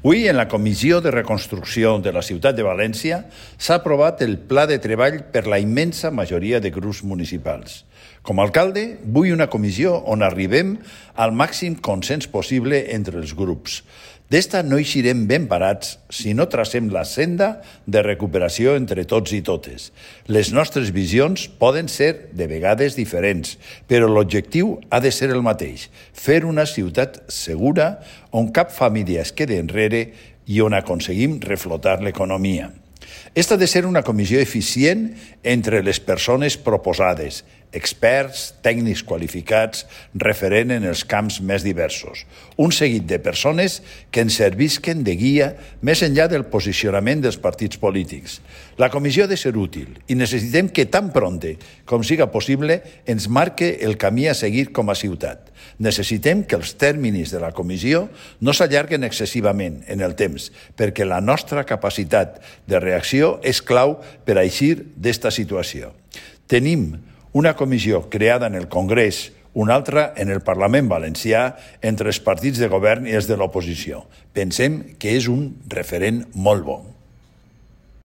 Avui, en la Comissió de Reconstrucció de la Ciutat de València, s'ha aprovat el pla de treball per la immensa majoria de grups municipals. Com a alcalde, vull una comissió on arribem al màxim consens possible entre els grups. D'esta no eixirem ben parats si no tracem la senda de recuperació entre tots i totes. Les nostres visions poden ser de vegades diferents, però l'objectiu ha de ser el mateix: fer una ciutat segura on cap família es quedi enrere i on aconseguim reflotar l'economia. Esta ha de ser una comissió eficient entre les persones proposades, experts, tècnics qualificats, referent en els camps més diversos. Un seguit de persones que ens servisquen de guia més enllà del posicionament dels partits polítics. La comissió ha de ser útil i necessitem que tan pronte com siga possible ens marque el camí a seguir com a ciutat. Necessitem que els tèrmins de la comissió no s'allarguen excessivament en el temps, perquè la nostra capacitat de reacció és clau per a eixir d'esta situació. Tenim una comissió creada en el Congrés, una altra en el Parlament valencià, entre els partits de govern i els de l'oposició. Pensem que és un referent molt bo.